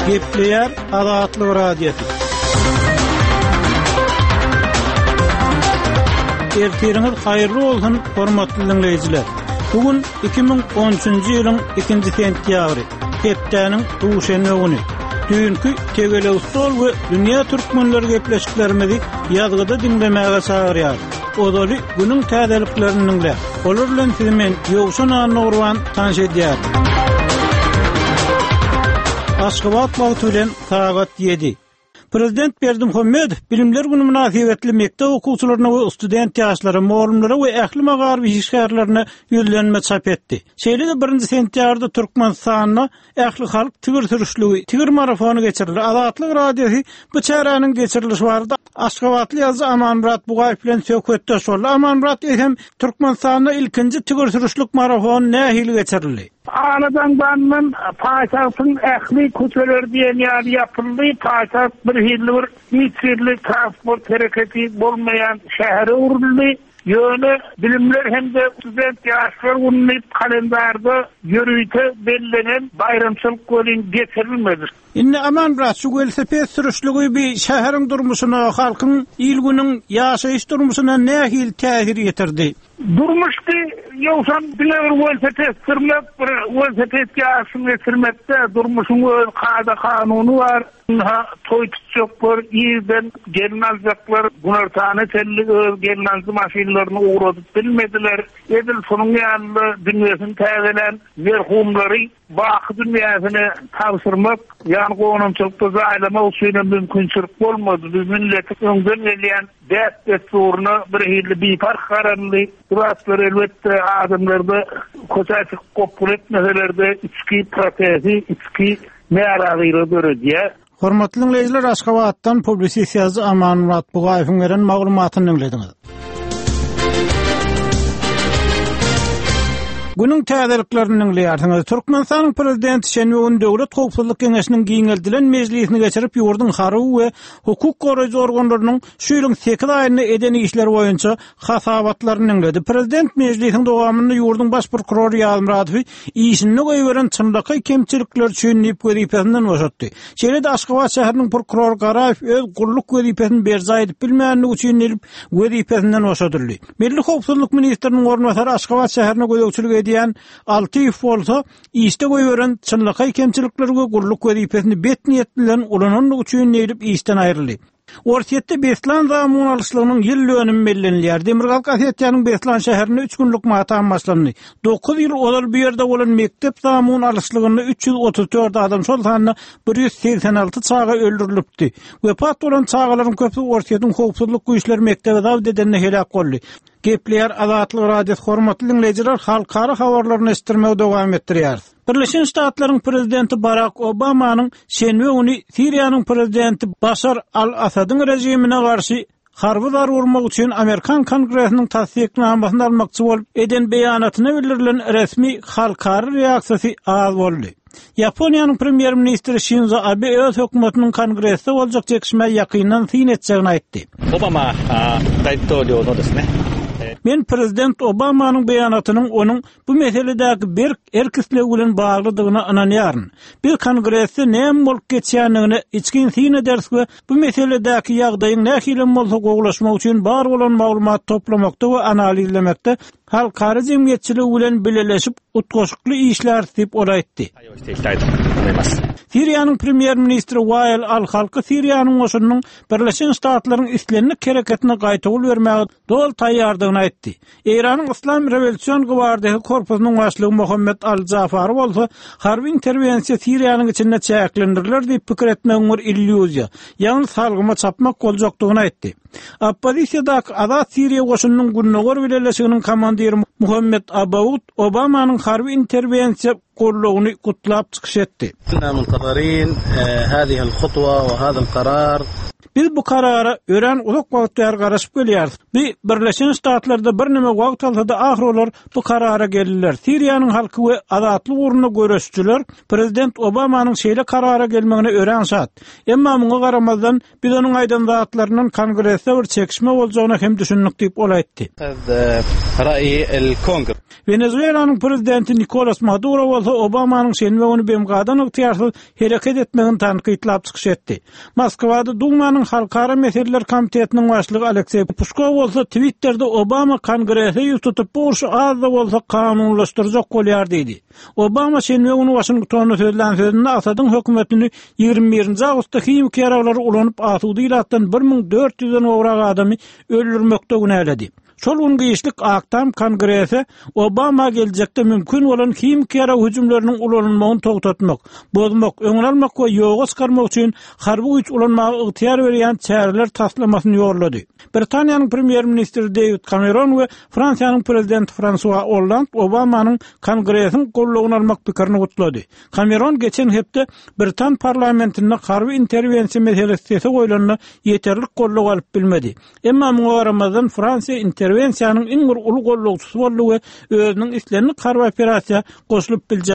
Gepleýär Azatlyk Radiosy. Ertiriňiz haýyrly bolsun, hormatly diňleýjiler. Bu gün 2013-nji ýylyň 2-nji sentýabry, hepdäniň duşenbe güni. Düýnki Tegelek stol we Dünýä türkmenleri gepleşiklerimizi ýazgyda diňlemäge çagyrýarys. Ozaly günüň täzeliklerini diňläň. Olar bilen sizi men, Ýowşan Annagurban, tanyş edýärin. Aşgabat wagty bilen sagat ýedi. Prezident Berdimuhamedow Bilimler güni mynasybetli mekdep okuwçylaryna we student ýaşlara, mugallymlara we ähli magaryf işgärlerine ýüzlenme çap etdi. Şeýle-de birinji sentýabrda Türkmenistanda Ählihalk tigir sürüşligi, tigir marafony geçirildi. Azatlyk Radiosy bu çäräniň geçirilişi barada aşgabatly ýazyjy Amanmyrat Bugaýew bilen söhbetdeş boldy. Amanmyrat, eýsem, Türkmenistanda ilkinji tigir sürüşlik marafony nähili geçirildi? Alajaňdandan paýtagtyň ähli köçeleri diýen ýaly ýapyldy. Paýtagt birhili bir hiç hili transport hereketi bolmaýan şähere öwrüldi. Ýöne Bilimler hem-de student ýaşlar güni diýip kalendarda ýörite bellenen baýramçylyk welin geçirilmedi. Indi Aman brat şu welosiped sürüşligi bi şäheriň durmuşyna, halkyň, il-günüň ýaşaýyş durmuşyna nähili täsir ýetirdi? Durmuşdy, ýogsam diňe bir welosiped sürmek, bir welosiped ýaryşyny geçirmek däl, durmuşyň öz kada-kanuny bar. Ynha, toý tutjaklar, irden gelin aljaklar günortana çenli öz gelnaljy maşynlaryny ugradyp bilmediler. Edil şunuň ýaly-da dünýesini täzelän merhumlary baky dünýäsine tabşyrmak, ýagny gonamçylykda jaýlamak üçinem mümkinçilik bolmady. Biz milletiň öňden gelýän däp-dessuryna birhili biparh garaldy. Bu zatlar, elbetde, adamlarda köçä çykyp gopgun etmeseler-de, içki protesti, içki närazylygy döredýär. Hormatly diňleýjiler, Aşgabatdan publisist ýazyjy Amanmyrat Bugaýewiň beren maglumatyny diňlediňiz. Günüň täzeliklerini diňleýärsiňiz. Türkmenistanyň Prezidenti şenbe güni Döwlet howpsuzlyk geňeşiniň giňeldilen mejlisini geçirip, ýurduň harby we hukuk goraýjy organlarynyň şu ýylyň sekiz aýynda eden işleri boýunça hasabatlaryny diňledi. Prezident mejlisiň dowamynda ýurduň baş prokurory Ýazmyradowy işinde goýberen çynlakaý kemçilikleri üçin diýip wezipesinden boşatdy. Şeýle-de Aşgabat şäheriniň prokurory Garaýew öz gulluk wezipesini berjaý edip bilmänligi üçin diýlip wezipesinden boşadyldy. Milli howpsuzlyk ministriniň orunbasary Aşgabat şäherine gözegçilik edýän Altyýew bolsa işde goýberen çynlakaý kemçilikleri we gulluk wezipesini bet niýet bilen ulananlygy üçin diýlip işden aýryldy. Orsýetde Beslan zamun alyşlygynyň ýyl dönümi bellenilýär. Demirgazyk Osetiýanyň Beslan şäherinde üç günlük matam başlandy. Dokuz ýyl ozal bu ýerde bolan mekdep zamun alyşlygynda 334 adam, şol sanda 186 çaga öldürilipdi. Wepat bolan çagalaryň köpüsi Orsýetiň howpsuzlyk güýçleri mekdebi zabt edende heläk boldy. Gepleýär Azatlyk Radiosy Hormatly diňleýjiler, halkara habarlaryny eşitdirmegi dowam etdirýäris. Birleşen Ştatlaryň prezidenti Barak Obamanyň şenbe güni Siriýanyň prezidenti Başar al-Asadyň režimine garşy harby zarba urmak üçin amerikan Kongresiniň tassyknamasyny almakçy bolup eden beýanatyna bildirilen resmi halkara reaksiýasy az boldy. Ýaponiýanyň premýer-ministri Şinzo Abe öz hökümetiniň Kongresde boljak çekişmä ýakyndan syn etjegini aýtdy. Obama Men prezident Obamanyň beýanatynyň onuň bu meseledäki berk erk-islegi bilen baglydygyna ynanýaryn. Biz Kongresde näme bolup geçýändigine içgin syn ederis we bu meseledäki ýagdaýyň nähilem bolsa gowulaşmagy üçin bar bolan maglumat toplamakda we analizlemekde halkara jemgyýetçiligi bilen bileleşip utgaşykly işläris diýip, ol aýtdy. Siriýanyň premýer-ministri Wael al-Halky Siriýanyň goşunynyň Birleşen Ştatlaryň islendik hereketine gaýtawul bermäge doly taýýardygyny aýtdy. Eýranyň Yslam rewolýusion gwardiýasy korpusynyň başlygy Mohammed al-Jafary bolsa, harby interwensiýa Siriýanyň içinde çäklendiriler diýip pikir etmegiň bir illýuziýa, ýagny salgyma çapmak boljakdygyny aýtdy. Oppozisiýadaky Azat Siriýa goşunynyň Gündogar bileleşiginiň komandiri Muhammed Abaud Obamanyň harby interwensiýa goldawyny gutlap çykyş etdi. Biz bu karara örän uzak wagt bäri garaşyp gelýäris. Bu Birleşen Ştatlarda birneme wagt alsa-da, ahyry olar bu karara geldiler. Siriýanyň halky we azatlyk ugrunda göreşijiler prezident Obamanyň şeýle karara gelmegine örän şat. Emma muňa garamazdan, Biz onuň aýdan zatlaryndan Kongresde bir çekişme boljagyna hem düşündik diýip, ol aýtdy. El Wenezuelanyň prezidenti Nikolas Maduro bolsa Obamanyň şenbe güni BMG-dan ygtyýarsyz hereket etmegini tankytlap çykyş etdi. Moskwada Dumanyň Halkara meseleler komitetiniň başlygy Alekseý Puçkow bolsa Twitterde Obama Kongrese ýüz tutup bu urşy az-da bolsa kanunylaşdyrjak bolýar diýdi. Obama şenbe güni Waşingtonda sözlän sözünde Asadyň hökümetini 21-nji awgustda himiki ýaraglary ulanyp asuda ilatdan 1400-den gowrak adamy öldürmekde günäledi. Şol gün giçlik Ak Tam Kongrese Obama geljekde mümkin bolan himiki ýarag hüjümleriniň ulanylmagyny togtatmak, bozmak, öňüni almak we ýoga çykarmak üçin harby güýç ulanmaga ygtyýar berýän çäreler taslamasyny ýollady. Britaniýanyň premýer-ministri Deýwid Kameron we Fransiýanyň prezidenti Fransua Olland Obamanyň Kongresiň goldawyny almak pikirini gutlady. Kameron geçen hepde britan parlamentinde harby interwensiýa meselesi sese goýlanda ýeterlik goldaw alyp bilmedi. Emma muňa garamazdan, Fransiýa interwensiýanyň iň bir uly gollagçysy boldy we özüniň islendik harby operasiýa goşulyp biljek.